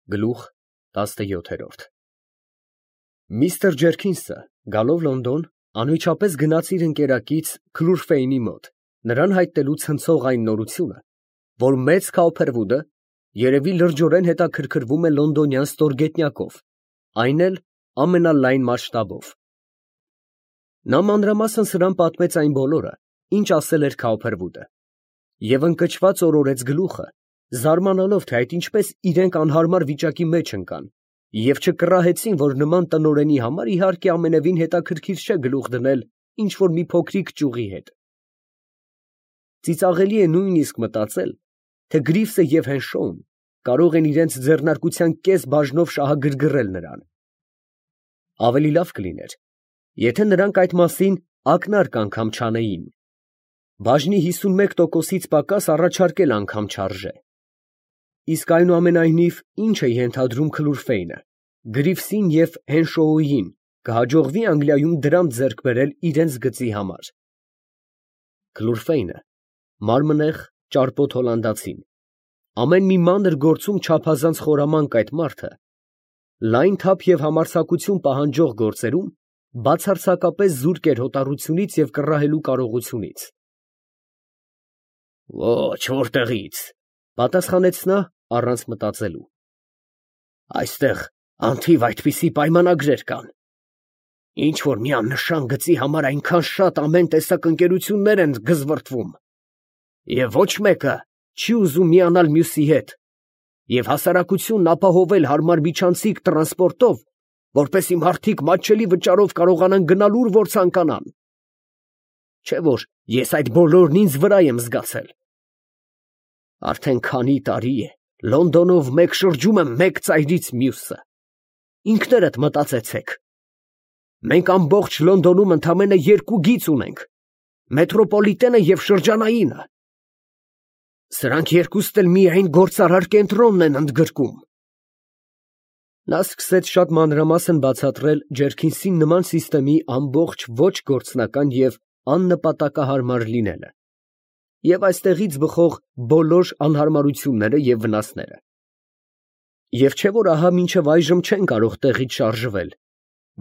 Գլուխ 17։ Միստր Ջերքինսը, գալով Լոնդոն, անմիջապես գնաց իր ընկերակից Քլուրֆեյնի մոտ, նրան հայտնելու ցնցող այն նորությունը, որ մեծ Քաուփերվուդը երևի լրջորեն հետաքրքրվում է լոնդոնյան ստորգետնյակով, այն էլ ամենալայն մասշտաբով։ Նա մանրամասն սրան պատմեց այն բոլորը, ինչ ասել էր Քաուփերվուդը, և ընկճված օրորեց գլուխը, զարմանալով, թե այդ ինչպես իրենք անհարմար վիճակի մեջ ընկան, և չկռահեցին, որ նման տնօրենի համար իհարկե ամենևին հետաքրքիր չէ գլուխ դնել ինչ֊որ մի փոքրիկ ճյուղի հետ։ Ծիծաղելի է նույնիսկ մտածել, թե Գրիվսը և Հենշոուն կարող են իրենց ձեռնարկության կես բաժնով շահագրգռել նրան։ Ավելի լավ կլիներ, եթե նրանք այդ մասին ակնարկ անգամ չանեին։ Բաժնի 51%-ից պակաս առաջարկել անգամ չարժե։ Իսկ այնուամենայնիվ, ինչ է ենթադրում Քլուրֆեյնը, Գրիվսին և Հենշոուին կհաջողվի Անգլիայում դրամ ձեռք բերել իրենց գծի համար։ Քլուրֆեյնը, մարմնեղ, ճարպոտ հոլանդացին, ամեն մի մանր գործում չափազանց խորամանկ այդ մարդը, լայն թափ և համարձակություն պահանջող գործերում բացարձակապես զուրկ էր հոտառությունից և կռահելու կարողությունից։ Ոչ, որտեղից, պատասխանեց նա, առանց մտածելու։ Այստեղ անթիվ այդպիսի պայմանագրեր կան։ Ինչ որ մի աննշան գծի համար այնքան շատ ամեն տեսակ ընկերություններ են գզվռտվում, և ոչ մեկը չի ուզում միանալ մյուսի հետ, և հասարակությունն ապահովել հարմար միջանցիկ տրանսպորտով, որպեսզի մարդիկ մատչելի վճարով կարողանան գնալ ուր որ ցանկանան։ Չէ որ ես այդ բոլորն ինձ վրա եմ զգացել։ Արդեն քանի տարի է Լոնդոնով մեկ շրջում եմ մեկ ծայրից մյուսը։ Ինքներդ մտածեցեք։ Մենք ամբողջ Լոնդոնում ընդամենը 2 գիծ ունենք, մետրոպոլիտենը և շրջանայինը։ Սրանք երկուստ էլ միայն գործարար կենտրոնն են ընդգրկում։ Նա սկսեց շատ մանրամասն բացատրել Ջերքինսին նման սիստեմի ամբողջ ոչ գործնական և աննպատակահարմար լինելը, և այստեղից բխող բոլոր անհարմարությունները և վնասները։ Եվ չէ որ ահա մինչև այժմ չեն կարող տեղից շարժվել,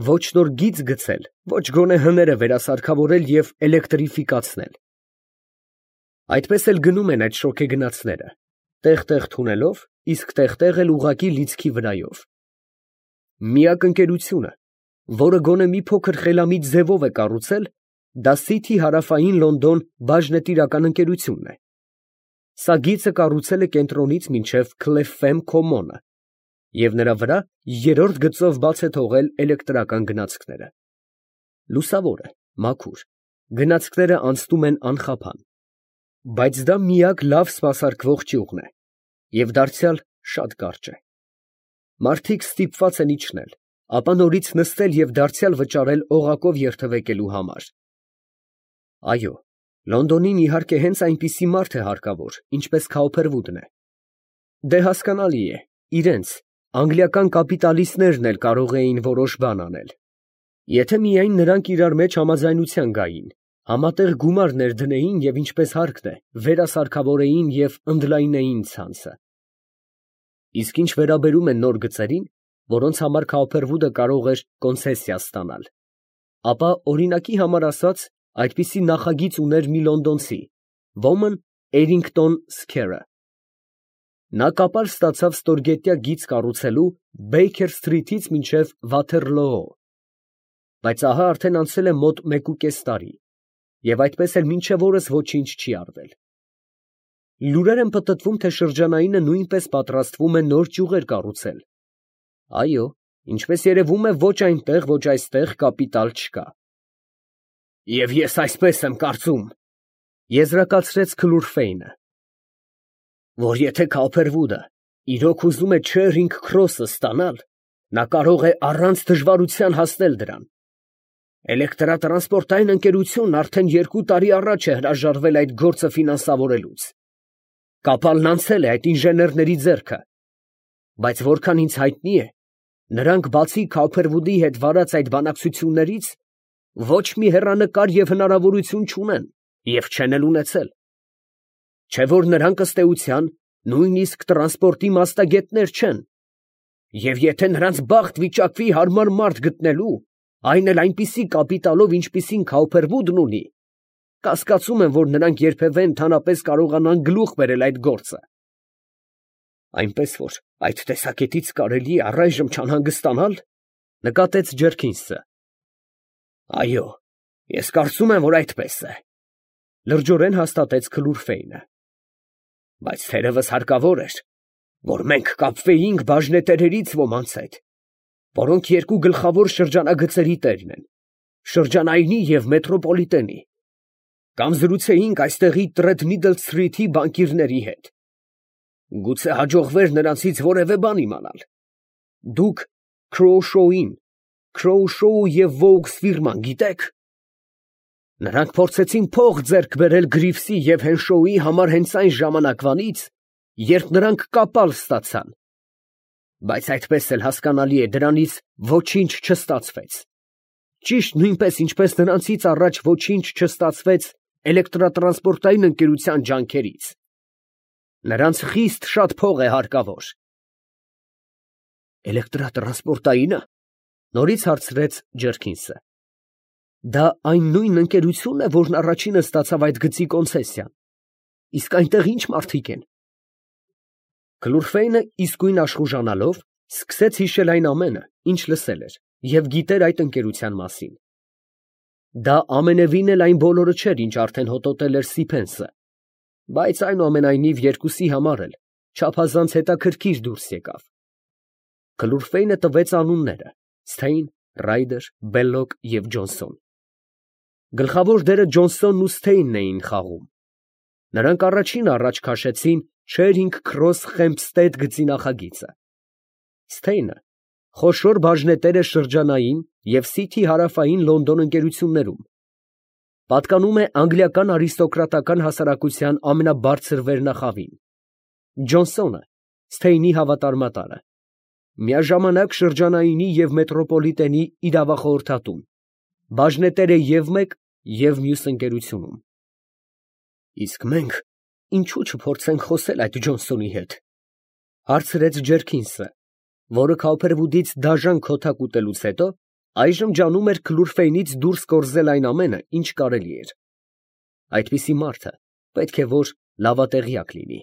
ոչ նոր գիծ գցել, ոչ գոնե հները վերասարքավորել և էլեկտրիֆիկացնել։ Այդպես էլ գնում են այդ շոգեգնացները, տեղ֊տեղ թունելով, իսկ տեղ֊տեղ էլ ուղղակի լիցքի վրայով։ Միակ ընկերությունը, որը գոնե մի փոքր խելամիտ ձևով է կառուցել, դա Սիթի հարավային Լոնդոն բաժնետիրական ընկերությունն է։ Սա գիծը կառուցել է կենտրոնից մինչև Քլեֆֆեմ Քոմոնը, և նրա վրա 3-րդ գծով բաց է թողել էլեկտրական գնացքները։ Լուսավոր է, մաքուր, գնացքները անցնում են անխափան, բայց դա միակ լավ սպասարկվող ճյուղն է, և դարձյալ շատ կարճ է։ Մարդիկ ստիպված են իջնել, ապա նորից նստել և դարձյալ վճարել օղակով երթևեկելու համար։ Այո, Լոնդոնին իհարկե հենց այնպիսի մարդ է հարկավոր, ինչպես Քաուփերվուդն է։ Դե հասկանալի է, իրենց, անգլիական կապիտալիստներն էլ կարող էին որոշ բան անել։ Եթե միայն նրանք իրար մեջ համաձայնության գային, համատեղ գումար ներդնեին և ինչպես հարկն է, վերասարքավորեին և ընդլայնեին ցանցը։ Իսկ ինչ վերաբերում է նոր գծերին, որոնց համար Քաուփերվուդը կարող էր կոնցեսիա ստանալ, ապա օրինակի համար ասած, այդպիսի նախագիծ ուներ մի լոնդոնցի, ոմն Էրինգտոն Սքերը։ Նա կապար ստացավ ստորգետնյա գիծ կառուցելու Բեյքեր Սթրիթից մինչև Վաթերլոո, բայց ահա արդեն անցել է մոտ 1.5 տարի, և այդպես էլ մինչև օրս ոչինչ չի արվել։ Լուրեր են պտտվում, թե շրջանայինը նույնպես պատրաստվում է նոր ճյուղեր կառուցել։ Այո, ինչպես երևում է, ոչ այնտեղ, ոչ այստեղ կապիտալ չկա։ Եվ ես այսպես եմ կարծում, եզրակացրեց Քլուրֆեյնը, որ եթե Քաուփերվուդը իրոք ուզում է Չերինգ Քրոսը ստանալ, նա կարող է առանց դժվարության հասնել դրան։ Էլեկտրատրանսպորտային ընկերությունն արդեն 2 տարի առաջ է հրաժարվել այդ գործը ֆինանսավորելուց։ Կապալն անցել է այդ ինժեներների ձեռքը, բայց որքան ինձ հայտնի է, նրանք բացի Քաուփերվուդի հետ վարած այդ բանակցություններից, ոչ մի հեռանկար և հնարավորություն չունեն և չեն էլ ունեցել։ Չէ որ նրանք ըստ էության նույնիսկ տրանսպորտի մասնագետներ չեն, Եվ եթե նրանց բախտ վիճակվի հարմար մարդ գտնելու, այն էլ այնպիսի կապիտալով, ինչպիսին Քաուփերվուդն ունի, կասկածում եմ, որ նրանք երբևէ ընդհանրապես կարողանան գլուխ բերել այդ գործը։ Այնպես որ այդ տեսակետից կարելի է առայժմ չանհանգստանալ, նկատեց Ջերքինսը։ Այո, ես կարծում եմ, որ այդպես է, լրջորեն հաստատեց Քլուրֆեյնը։ Բայց թերևս հարկավոր էր, որ մենք կապվեինք բաժնետերերից ոմանց հետ, որոնք երկու գլխավոր շրջանագծերի տերն են, շրջանայինի և մետրոպոլիտենի, կամ զրուցեինք այստեղի Տրեդմիդլ Սթրիթի բանկիրների հետ։ Գուցե հաջողվեր նրանցից որևէ բան իմանալ։ Դուք Քրոուշոուին, Քրոուշոու և Վոուքս ֆիրման գիտեք։ Նրանք փորձեցին փող ձեռք բերել Գրիվսի և Հենշոուի համար հենց այն ժամանակվանից, երբ նրանք կապալ ստացան։ Բայց այդպես էլ հասկանալի է, դրանից ոչինչ չստացվեց։ Ճիշտ նույնպես, ինչպես նրանցից առաջ ոչինչ չստացվեց էլեկտրատրանսպորտային ընկերության ջանքերից։ Նրանց խիստ շատ փող է հարկավոր։ Էլեկտրատրանսպորտայինը, նորից հարցրեց Ջերքինսը։ Դա այն նույն ընկերությունն է, որն առաջինը ստացավ այդ գծի կոնցեսիան։ Իսկ այնտեղ ի՞նչ մարդիկ են։ Քլուրֆեյնը իսկույն աշխուժանալով սկսեց հիշել այն ամենը, ինչ լսել էր և գիտեր այդ ընկերության մասին։ Դա ամենևին էլ այն բոլորը չէր, ինչ արդեն հոտոտել էր Սիփենսը, բայց այնուամենայնիվ երկուսի համար էլ չափազանց հետաքրքիր դուրս եկավ։ Քլուրֆեյնը տվեց անունները՝ Սթեյն, Ռայդեր, Բելլոկ և Ջոնսոն։ Գլխավոր դերը Ջոնսոնն ու Սթեյնն էին խաղում։ Նրանք առաջինը առաջ քաշեցին Չերինգ Քրոս Խեմփստեդ գծի նախագիծը։ Սթեյնը խոշոր բաժնետեր է շրջանային և Սիթի հարավային Լոնդոն ընկերություններում։ Պատկանում է անգլիական արիստոկրատական հասարակության ամենաբարձր վերնախավին։ Ջոնսոնը Սթեյնի հավատարմատարը։ Միաժամանակ շրջանայինի և մետրոպոլիտենի իրավախորհրդատուն, բաժնետեր է և մեկ, և մյուս ընկերությունում։ Իսկ մենք ինչու չփորձենք խոսել այդ Ջոնսոնի հետ, հարցրեց Ջերքինսը, որը Քաուփերվուդից դաժան քոթակ ուտելուց հետո այժմ ջանում էր Քլուրֆեյնից դուրս կորզել այն ամենը, ինչ կարելի էր։ Այդպիսի մարդը պետք է որ լավատեղյակ լինի։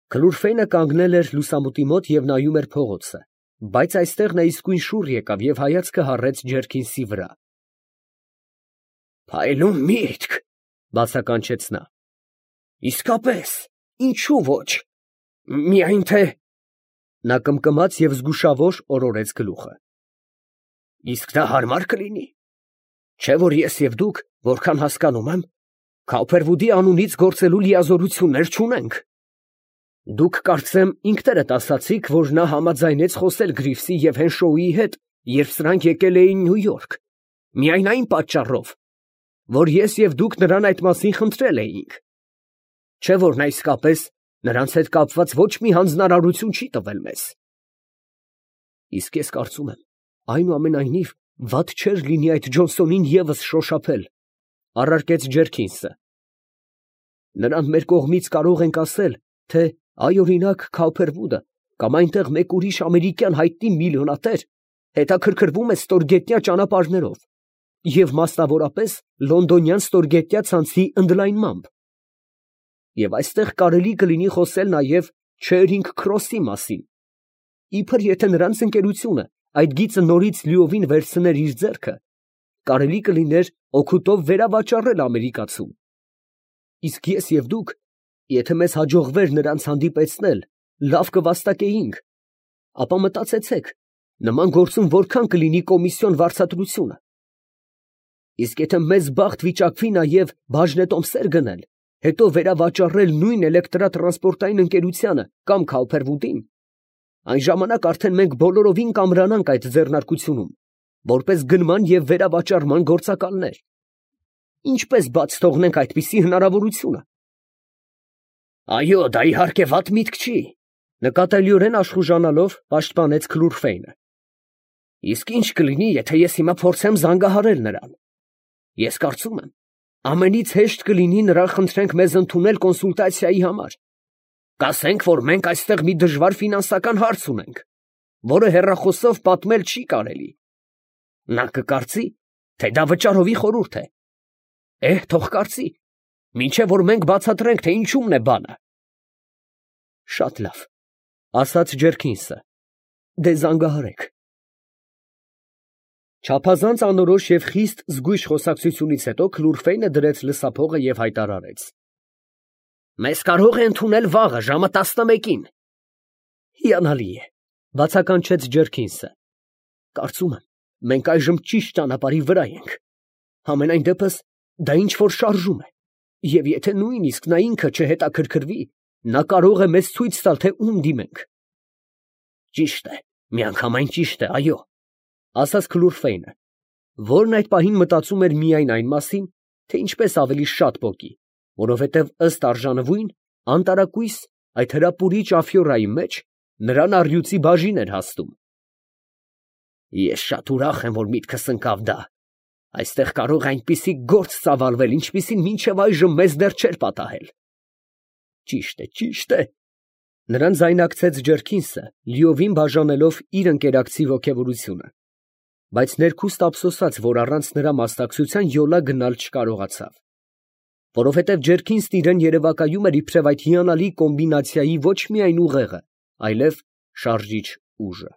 Քլուրֆեյնը կանգնել էր լուսամուտի մոտ և նայում էր փողոցը, բայց այստեղ նա իսկույն շուռ եկավ և հայացքը հառեց Ջերքինսի վրա։ Փայլուն միտք, բացականչեց նա։ Իսկապես, ինչու ոչ։ Միայն թե… Նա կմկմաց և զգուշավոր օրորեց գլուխը։ Իսկ դա հարմար կլինի։ Չէ՞ որ ես և դուք, որքան հասկանում եմ, Քաուփերվուդի անունից գործելու լիազորություններ չունենք։ Դուք կարծեմ ինքներդ ասացիք, որ նա համաձայնեց խոսել Գրիվսի և Հենշոուի հետ, երբ սրանք եկել էին Նյու Յորք, միայն այն պատճառով, որ ես և դուք նրան այդ մասին խնդրել էինք։ Չէ՞ որ նա իսկապես նրանց հետ կապված ոչ մի հանձնարարություն չի տվել մեզ։ Իսկ ես կարծում եմ, այնուամենայնիվ, վատ չէր լինի այդ Ջոնսոնին ևս շոշափել, առարկեց Ջերքինսը։ Նրան մեր կողմից կարող ենք ասել, թե այ օրինակ Քաուփերվուդը կամ այնտեղ մեկ ուրիշ ամերիկյան հայտնի միլիոնատեր հետաքրքրվում է ստորգետնյա ճանապարհներով և մասնավորապես լոնդոնյան ստորգետնյա ցանցի ընդլայնմամբ։ Եվ այստեղ կարելի կլինի խոսել նաև Չերինգ Քրոսի մասին, իբր եթե նրանց ընկերությունը այդ գիծը նորից լիովին վերցներ իր ձեռքը, կարելի կլիներ օգուտով վերավաճառել ամերիկացուն։ Իսկ ես և դուք, եթե մեզ հաջողվեր նրանց հանդիպեցնել, լավ կվաստակեինք, ապա մտածեցեք, նման գործում որքան կլինի կոմիսիոն վարձատրությունը։ Իսկ եթե մեզ բախտ վիճակվի նաև բաժնետոմսեր գնել, հետո վերավաճառել նույն էլեկտրատրանսպորտային ընկերությանը կամ Քաուփերվուդին, այն ժամանակ արդեն մենք բոլորովին կամրանանք այդ ձեռնարկությունում, որպես գնման և վերավաճառման գործակալներ։ Ինչպես բաց թողնենք այդպիսի հնարավորությունը։ Այո, դա իհարկե վատ միտք չի, նկատելիորեն աշխուժանալով պաշտպանեց Քլուրֆեյնը։ Իսկ ինչ կլինի, եթե ես հիմա փորձեմ զանգահարել նրան։ Ես կարծում եմ, ամենից հեշտ կլինի նրան խնդրենք մեզ ընդունել կոնսուլտացիայի համար։ Կասենք, որ մենք այստեղ մի դժվար ֆինանսական հարց ունենք, որը հեռախոսով պատմել չի կարելի։ Նա կկարծի, թե դա վճարովի խորհուրդ է։ Թող կարծի, մինչև որ մենք բացատրենք, թե ինչումն է բանը։ Շատ լավ, ասաց Ջերքինսը, դե զանգահարեք։ Չափազանց անորոշ և խիստ զգույշ խոսակցությունից հետո Քլուրֆեյնը դրեց լսափողը և հայտարարեց. Մեզ կարող է ընդունել վաղը ժամը 11-ին։ Հիանալի է, բացականչեց Ջերքինսը։ Կարծում եմ, մենք այժմ ճիշտ ճանապարհի վրա ենք։ Համենայն դեպս, դա ինչ-որ շարժում է, և եթե նույնիսկ նա ինքը չհետաքրքրվի, նա կարող է մեզ ցույց տալ, թե ում դիմենք։ Ճիշտ է, միանգամայն ճիշտ է, այո, ասաց Քլուրֆեյնը, որն այդ պահին մտածում էր միայն այն մասին, թե ինչպես ավելի շատ պոկի, որովհետև ըստ արժանվույն, անտարակույս այդ հրապուրիչ ափիորայի մեջ նրան առյուծի բաժին էր հասնում։ Ես շատ ուրախ եմ, որ միտքս ընկավ դա։ Այստեղ կարող է այնպիսի գործ ծավալվել, ինչպիսին մինչև այժմ մեզ դեռ չէր պատահել։ Ճիշտ է։ Նրան ձայնակցեց Ջերքինսը, լիովին բաժանելով իր ընկերակցի ոգևորությունը, բայց ներքուստ ափսոսաց, որ առանց նրա մասնակցության յոլա գնալ չկարողացավ, որովհետև Ջերքինսն իրան երևակայում էր իբրև այդ հիանալի կոմբինացիայի ոչ միայն ուղեղը, այլև շարժիչ ուժը։